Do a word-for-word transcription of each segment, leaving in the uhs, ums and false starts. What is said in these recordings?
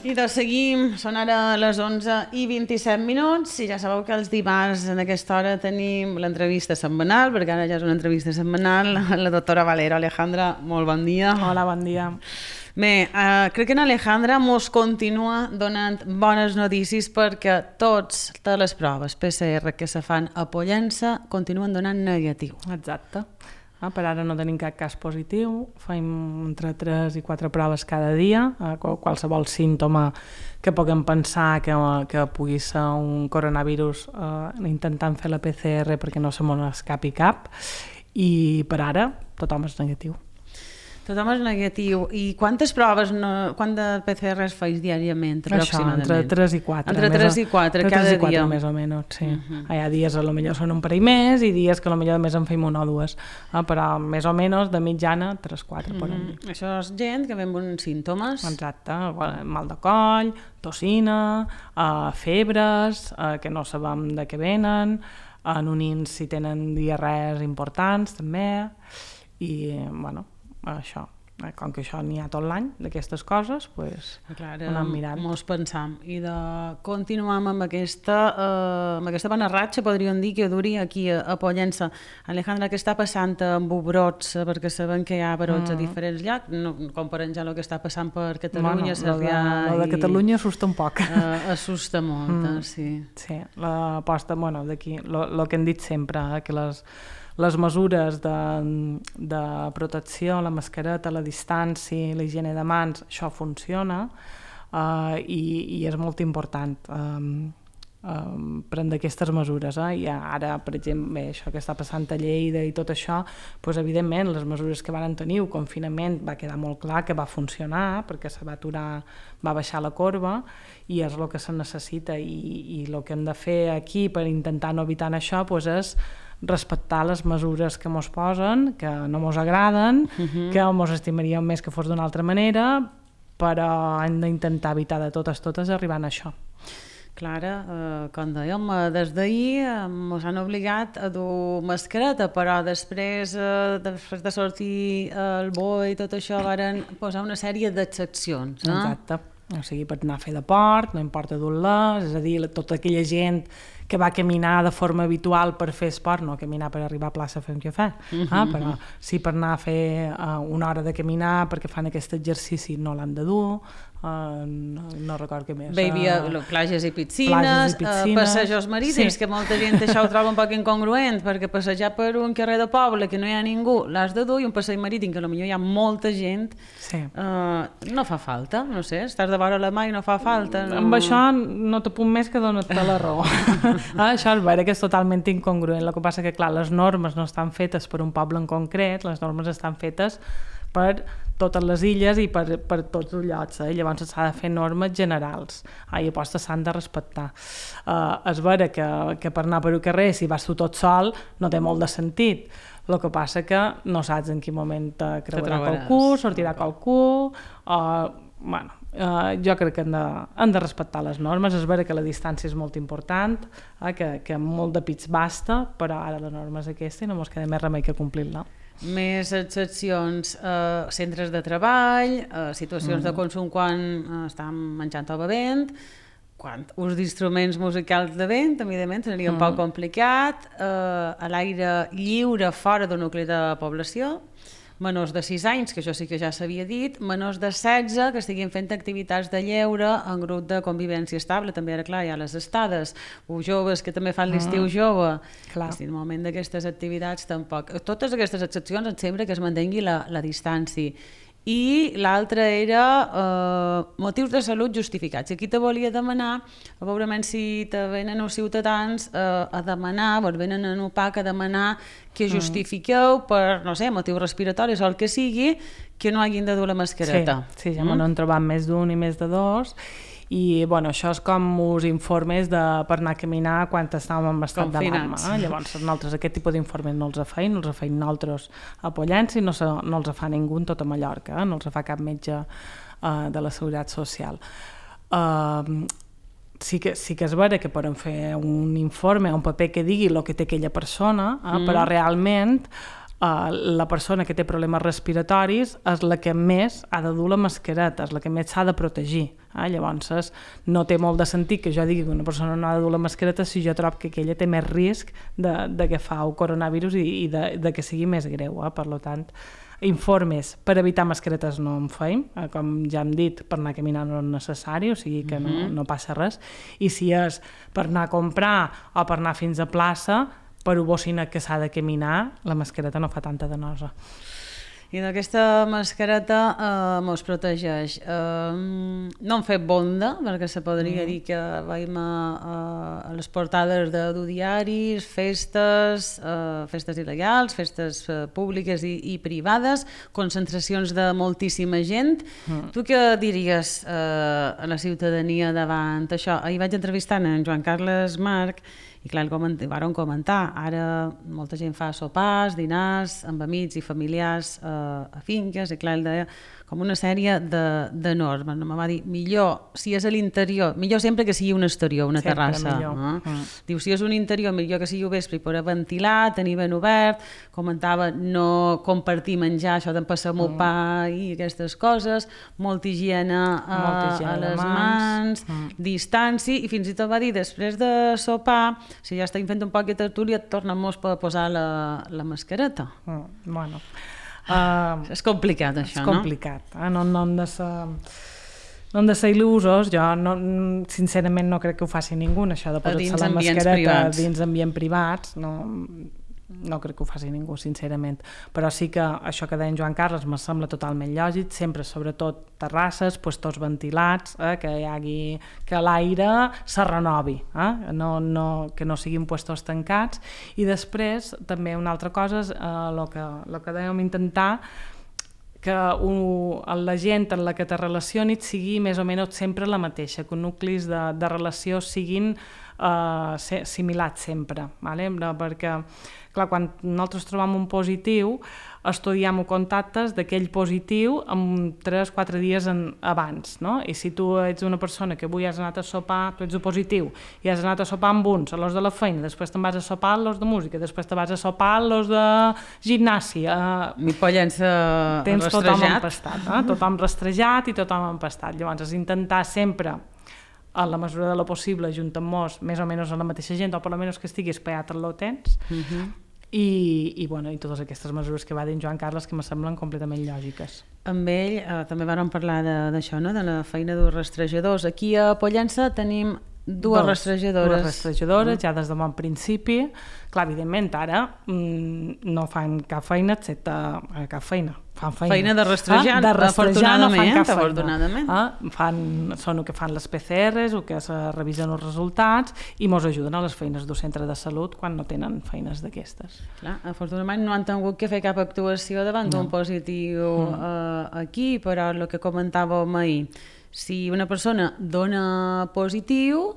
I doncs seguim, són ara les onze i vint-i-set minuts i ja sabeu que els dimarts en aquesta hora tenim l'entrevista setmanal, perquè ara ja és una entrevista setmanal, la doctora Valero. Alejandra, molt bon dia. Hola, bon dia. Bé, eh, crec que en Alejandra mos continua donant bones notícies perquè tots, totes les proves P C R que se fan a Pollença continuen donant negatiu. Exacte. Ah, per ara no tenim cap cas positiu, fem entre tres i quatre proves cada dia, eh, qualsevol símptoma que puguem pensar que, que pugui ser un coronavirus, eh, intentant fer la P C R perquè no se m'escapi cap, i per ara tothom és negatiu. Tothom és negatiu. I quantes proves, no, quant de P C Rs feis diàriament, aproximadament? Això, entre tres i quatre. Entre tres i quatre, cada dia. quatre, més o menys, sí. Uh-huh. Hi ha dies que potser són un parell més i dies que potser només en fem una o dues, eh, però més o menys de mitjana tres quatre. Uh-huh. Podem dir. Això és gent que ve amb uns símptomes. Exacte, mal de coll, tossina, uh, febres, uh, que no sabem de què venen, anonins si tenen diarrees importants també, i bueno, això, com que això n'hi ha tot l'any d'aquestes coses, doncs clar, ho anem mirant. Mos pensam i de continuar amb aquesta, eh, amb aquesta bona ratxa, podríem dir, que duri aquí a, a Pollença. Alejandra, què està passant amb brots? Perquè sabem que hi ha brots mm. a diferents llocs, no, comparant ja el que està passant per Catalunya, bueno, Sarrià... El de, de Catalunya assusta un poc. Eh, assusta molt, mm. sí. Sí, l'aposta, bueno, d'aquí, el que hem dit sempre, eh, que les les mesures de, de protecció, la mascareta, la distància, la higiene de mans, això funciona, uh, i, i és molt important um, um, prendre aquestes mesures. Eh? I ara, per exemple, bé, això que està passant a Lleida i tot això, doncs, evidentment, les mesures que van tenir, el confinament, va quedar molt clar que va funcionar, perquè se va aturar, va baixar la corba, i és el que se necessita, i, i el que hem de fer aquí per intentar no evitar això doncs és respectar les mesures que mos posen, que no mos agraden, uh-huh. que mos estimaríem més que fos d'una altra manera, però hem d'intentar evitar de totes totes arribant a això. Clara, eh, com dèiem, des d'ahir eh, ens han obligat a dur mascareta, però després, eh, després de sortir el boi i tot això, varen posar una sèrie d'excepcions. No? Exacte. O sigui, per anar a fer deport, no importa dur-les, és a dir, tota aquella gent que va caminar de forma habitual per fer esport, no caminar per arribar a plaça a fer un cafè, uh-huh. ah, però sí per anar a fer uh, una hora de caminar perquè fan aquest exercici no l'han de dur, uh, no, no record què més. Bé, hi havia uh, platges i piscines, i piscines uh, passejos marítims, sí. que molta gent això ho troba un poc incongruent, perquè passejar per un carrer de poble que no hi ha ningú l'has de dur, i un passeig marítim que potser hi ha molta gent, sí. uh, no fa falta, no sé, estàs de vora la mà i no fa falta. No... Amb això no te puc més que donar-te la raó. Ah, això és vera que és totalment incongruent. El que passa que, clar, les normes no estan fetes per un poble en concret, les normes estan fetes per totes les illes i per, per tots els llocs, eh? Llavors s'ha de fer normes generals, ah, i apostes s'han de respectar. Uh, és vera que, que per anar per un carrer, si vas tu tot sol, no té molt de sentit. El que passa que no saps en quin moment te creuarà qualcú, sortirà qualcú, o... Bueno, Uh, jo crec que hem de, hem de respectar les normes. És vera que la distància és molt important, eh, que, que molt de pits basta, però ara la norma és aquesta i no ens queda més remei que complir-la. Més excepcions, eh, centres de treball, eh, situacions mm. de consum quan eh, estan menjant o bevent, quan ús d'instruments musicals de vent, evidentment seria un mm. poc complicat, eh, a l'aire lliure fora d'un nucli de població, menors de sis anys, que això sí que ja s'havia dit, menors de setze que estiguin fent activitats de lleure en grup de convivència estable, també ara clar hi ha les estades, o joves que també fan l'estiu jove, clar. I en el moment d'aquestes activitats tampoc. Totes aquestes excepcions em sembla que es mantengui la, la distància. I l'altre era eh, motius de salut justificats. I aquí te volia demanar, probablement si te venen els ciutadans eh, a demanar, vos venen en U P A C a demanar que justifiqueu per, no sé, motius respiratoris o el que sigui, que no hagin de dur la mascareta. Sí, sí ja mm? m'ho han trobat més d'un i més de dos, i bueno, això és com us informes de, per anar a caminar quan estàvem en estat d'alarma. Eh? Llavors nosaltres aquest tipus d'informes no els feim, no els feim nosaltres a Pollença i no, se, no els fa ningú en tota Mallorca, eh? No els fa cap metge uh, de la Seguretat Social. Uh, sí que, sí que és vera que poden fer un informe, un paper que digui el que té aquella persona, eh? mm. però realment uh, la persona que té problemes respiratoris és la que més ha de dur la mascareta, és la que més s'ha de protegir. Eh? Llavors, no té molt de sentit que jo digui que una persona no ha de dur la mascareta si jo trobo que aquella té més risc de, de que fa el coronavirus i, i de, de que sigui més greu. Eh? Per tant, informes per evitar mascaretes no en feim, eh? Com ja hem dit, per anar caminant no és necessari, o sigui que no, no passa res, i si és per anar a comprar o per anar fins a plaça, per ho bocina que s'ha de caminar, la mascareta no fa tanta de nosa. I d'aquesta mascareta eh, mos protegeix. Eh, no hem fet bonda, perquè se podria mm. dir que veiem a, a les portades de, de diaris, festes, eh, festes il·legals, festes eh, públiques i, i privades, concentracions de moltíssima gent. Mm. Tu què diries eh, a la ciutadania davant això? Ahir vaig entrevistant en Joan Carles Marc i clar, el varen comentar, ara molta gent fa sopars, dinars, amb amics i familiars eh, a finques, i clar, ell deia com una sèrie de, de normes. No? Me va dir, millor, si és a l'interior, millor sempre que sigui un exterior, una sempre terrassa. No? Mm. Diu, si és un interior, millor que sigui vespre i poder ventilar, tenir ben obert, comentava no compartir menjar, això d'empassar mm. pa i aquestes coses, molta higiene, eh, molta higiene a les mans, mans mm. distància, i fins i tot va dir, després de sopar, si ja estem fent un poc de tertúlia, tornem-nos a posar la, la mascareta. Mm. Bueno... Uh, és complicat això, és complicat, no? Eh? No, no hem de ser, no hem de ser il·lusos. Jo no, sincerament no crec que ho faci ningú, això de posar-se la mascareta privats. Dins ambient privats, no, no crec que ho faci ningú, sincerament. Però sí que això que deia en Joan Carles me sembla totalment lògic, sempre, sobretot terrasses, puestos ventilats, eh, que hi hagi, que l'aire se renovi, eh? no, no, que no siguin puestos tancats. I després, també una altra cosa és el eh, que, lo que dèiem intentar que un, la gent en la que te relacionis sigui més o menys sempre la mateixa, que els nuclis de, de relació siguin uh, similats sempre, ¿vale? Perquè clar, quan nosaltres trobem un positiu, estudiem contactes d'aquell positiu en tres o quatre dies en, abans, no? I si tu ets una persona que avui has anat a sopar, tu ets positiu, i has anat a sopar amb uns, a los de la feina, després te'n vas a sopar a los de música, després te vas a sopar a los de gimnàsia. Mi pollença tens tothom empastat, eh? Tothom rastrejat i tothom empastat. Llavors, és intentar sempre, a la mesura de lo possible, ajuntant-nos més o menys a la mateixa gent, o per almenys que estigui espaiat en lo temps, uh-huh. I, i, bueno, i totes aquestes mesures que va dir en Joan Carles que me semblen completament lògiques. Amb ell eh, també vam parlar d'això, no? De la feina dels rastrejadors. Aquí a Pollença tenim dues Dos, rastrejadores. Dues rastrejadores, ja des de bon principi. Clar, evidentment, ara mmm, no fan cap feina, excepte eh, cap feina. Fan feina. Feina de rastrejar, ah, de rastrejar no fan cap afortunadament. Ah, fan, són el que fan les P C Rs, el que es revisen els resultats i mos ajuden a les feines del centre de salut quan no tenen feines d'aquestes. Clar, afortunadament no han tingut que fer cap actuació davant no. d'un positiu mm. eh, aquí, però el que comentàvem ahir, si una persona dona positiu,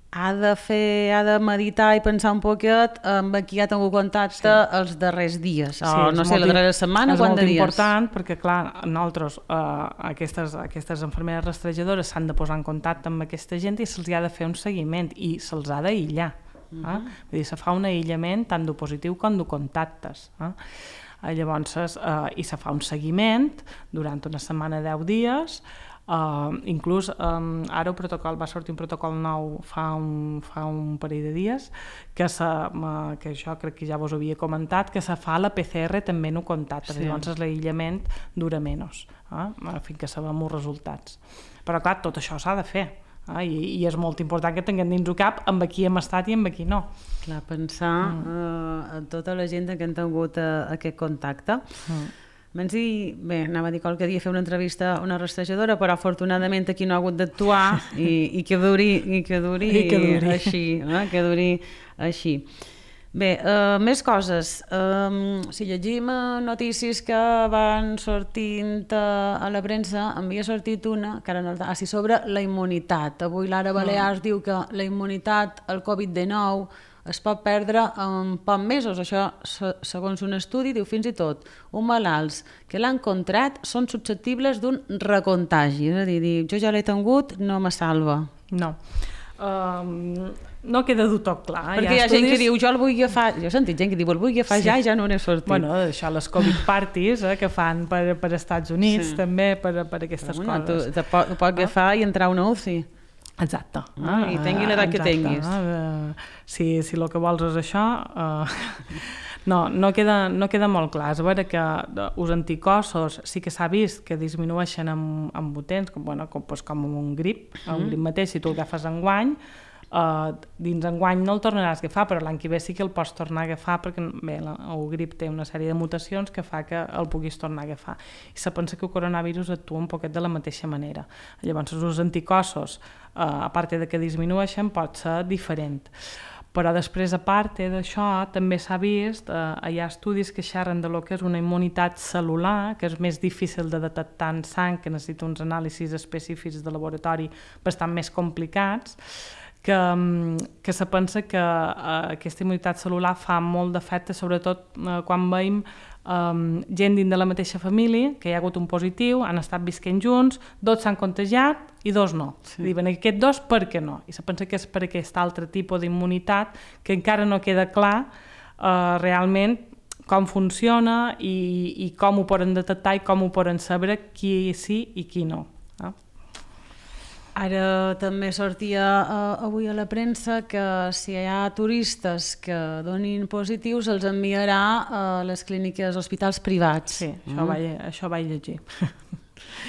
ha de fer, ha de meditar i pensar un poquet amb qui ha tingut contacte sí. els darrers dies, o sí, no sé, la darrera setmana, quant de dies. És molt important perquè, clar, nosaltres, eh, aquestes, aquestes infermeres rastrejadores s'han de posar en contacte amb aquesta gent i se'ls ha de fer un seguiment i se'ls ha d'aïllar. Uh-huh. eh? Vull dir, se fa un aïllament tant de positiu com de contactes. Eh? Llavors, eh, i se fa un seguiment durant una setmana, deu dies. Uh, inclús um, ara el protocol va sortir un protocol nou fa un, fa un parell de dies que, se, uh, que això crec que ja vos havia comentat, que se fa la P C R també en un contacte, sí. Llavors l'aïllament dura menys, uh, fins que sabem els resultats. Però clar, tot això s'ha de fer. Ah, i, i és molt important que tinguem dins el cap amb qui hem estat i amb qui no. Clar, pensar mm. uh, en tota la gent que han tingut uh, aquest contacte. Mm. Menys dir, bé, anava a dir qualque dia fer una entrevista a una rastrejadora, però afortunadament aquí no ha hagut d'actuar i, i que duri, i que duri, I que duri. així, eh? que duri així. Bé, uh, més coses. Um, si llegim notícies que van sortint a la premsa, em havia sortit una, que ara no, ah, sí, sobre la immunitat. Avui l'Ara Balears mm. diu que la immunitat al covid dinou es pot perdre en pocs mesos. Això, segons un estudi, diu fins i tot uns malalts que l'han contrat són susceptibles d'un recontagi. És a dir, jo ja l'he tingut, no me salva. No. Um, no queda del tot clar. Perquè hi ha, hi ha gent que diu, jo el vull agafar, jo he sentit gent que diu, el vull agafar sí. ja i ja no n'he sortit. Bueno, això, les Covid parties, eh, que fan per, per Estats Units, sí. també, per, per aquestes Però, bueno, coses. Tu te pot, pot agafar ah. i entrar a una U C I. Exacte. Ah, I tingui l'edat que tinguis. Uh, si, si el que vols és això... Uh, no, no queda, no queda molt clar. És a veure que els anticossos sí que s'ha vist que disminueixen amb, amb potents, com, bueno, com, pues, com un grip, mm. un grip mateix, si tu el agafes enguany, uh, dins enguany no el tornaràs a agafar, però l'any que ve sí que el pots tornar a agafar perquè bé, la, el grip té una sèrie de mutacions que fa que el puguis tornar a agafar. I se pensa que el coronavirus actua un poquet de la mateixa manera. Llavors, els anticossos, uh, a part de que disminueixen, pot ser diferent. Però després, a part d'això, també s'ha vist, eh, hi ha estudis que xerren de lo que és una immunitat cel·lular, que és més difícil de detectar en sang, que necessita uns anàlisis específics de laboratori bastant més complicats, que, que se pensa que eh, aquesta immunitat cel·lular fa molt d'efecte, sobretot eh, quan veiem Um, gent dins de la mateixa família, que hi ha hagut un positiu, han estat visquent junts, dos s'han contagiat i dos no. Sí. Diuen aquests dos per què no? I se pensa que és per aquest altre tipus d'immunitat que encara no queda clar uh, realment com funciona i, i com ho poden detectar i com ho poden saber qui sí i qui no. Eh? Ara també sortia uh, avui a la premsa que si hi ha turistes que donin positius els enviarà a les clíniques, hospitals privats. Sí, mm. això, vaig, això vaig llegir.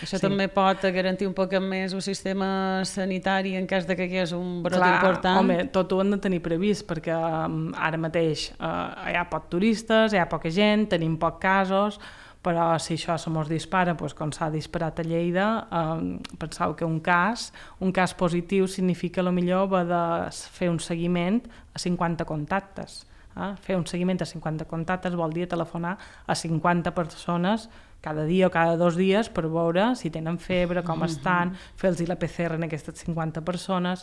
Això sí. també pot garantir un poc més el sistema sanitari en cas de que hi hagués un brot Clar, important. Home, tot ho hem de tenir previst perquè um, ara mateix uh, hi ha poc turistes, hi ha poca gent, tenim pocs casos, però si això se mos dispara, doncs, com s'ha disparat a Lleida, eh, penseu que un cas, un cas positiu significa potser va de fer un seguiment a cinquanta contactes. Eh? Fer un seguiment a cinquanta contactes vol dir telefonar a cinquanta persones cada dia o cada dos dies per veure si tenen febre, com estan, fer-los la P C R en aquestes cinquanta persones.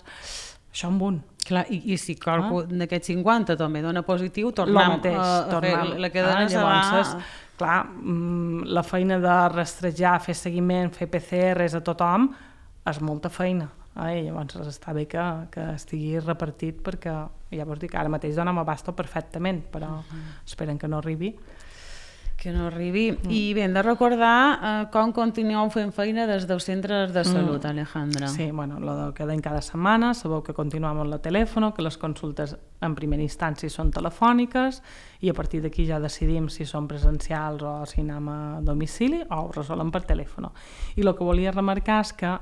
Això amb un. Clar, i, i si qualcú ah. d'aquests cinquanta també dona positiu, tornem mateix, a, a fer la cadena ah, llavors, va... Clar, la feina de rastrejar, fer seguiment, fer P C Rs a tothom, és molta feina. Eh? Llavors està bé que, que estigui repartit perquè, ja vos dic, ara mateix dona m'abasto perfectament, però uh-huh. esperen que no arribi. Que no arribi. Mm. I bé, hem de recordar eh, com continueu fent feina des dels centres de salut, mm. Alejandra. Sí, bueno, lo que quedem cada setmana, sabeu que continuem amb el telèfon, que les consultes en primera instància són telefòniques i a partir d'aquí ja decidim si són presencials o si anem a domicili o ho resolem per telèfon. I el que volia remarcar és que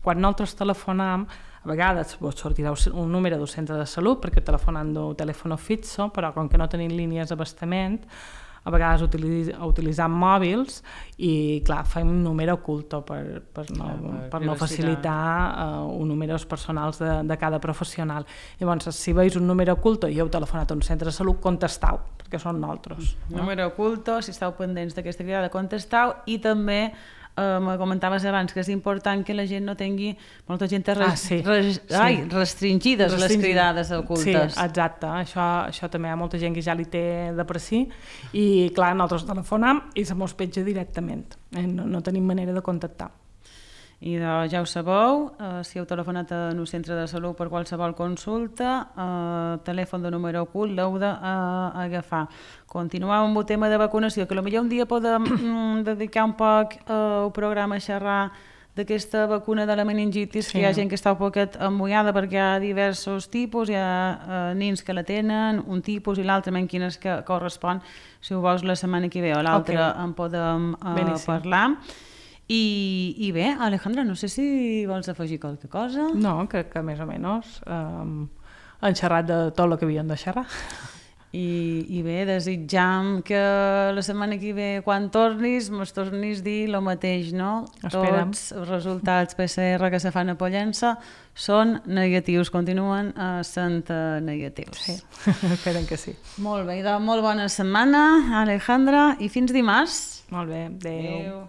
quan nosaltres telefonam, a vegades vos sortirà un número del centre de salut perquè telefonen d'un telèfon fixo, però com que no tenim línies d'abastament, a vegades utiliz, utilitzant mòbils i, clar, fem un número oculto per, per, no, clar, per, per no facilitar uh, un números personals de, de cada professional. Llavors, si veus un número oculto i heu telefonat a un centre de salut, contestau, perquè són nosaltres. Mm. No? Número oculto, si esteu pendents d'aquesta cridada, contestau, i també Uh, me comentaves abans que és important que la gent no tingui molta gent res, ah, sí. res, sí. Ai, restringides Restringid. les cridades ocultes. Sí, exacte, això, això també hi ha molta gent que ja li té de per si i clar, nosaltres telefonam i se mos petja directament, eh? no, no tenim manera de contactar. I doncs, ja ho sabeu, eh, si heu telefonat en un centre de salut per qualsevol consulta, eh, telèfon de número ocult l'heu d'agafar. Continuem amb el tema de vacunació, que potser un dia podem dedicar un poc al programa a xerrar d'aquesta vacuna de la meningitis, sí. que hi ha gent que està un poquet emmullada perquè hi ha diversos tipus, hi ha eh, nins que la tenen, un tipus i l'altre, en quines que correspon. Si ho vols la setmana que ve o l'altra okay. en podem eh, parlar. I, I bé, Alejandra, no sé si vols afegir qualque cosa. No, crec que més o menys um, han xerrat de tot el que havien de xerrar. I, i bé, desitjam que la setmana que ve, quan tornis, mos tornis a dir el mateix, no? Esperem. Tots els resultats P C R que se fan a Pollença són negatius, continuen sent negatius. Sí, esperem que sí. Molt bé, doncs molt bona setmana, Alejandra, i fins dimarts. Molt bé, adéu. adéu.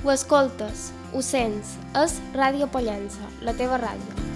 Ho escoltes, ho sents, és Ràdio Pollença, la teva ràdio.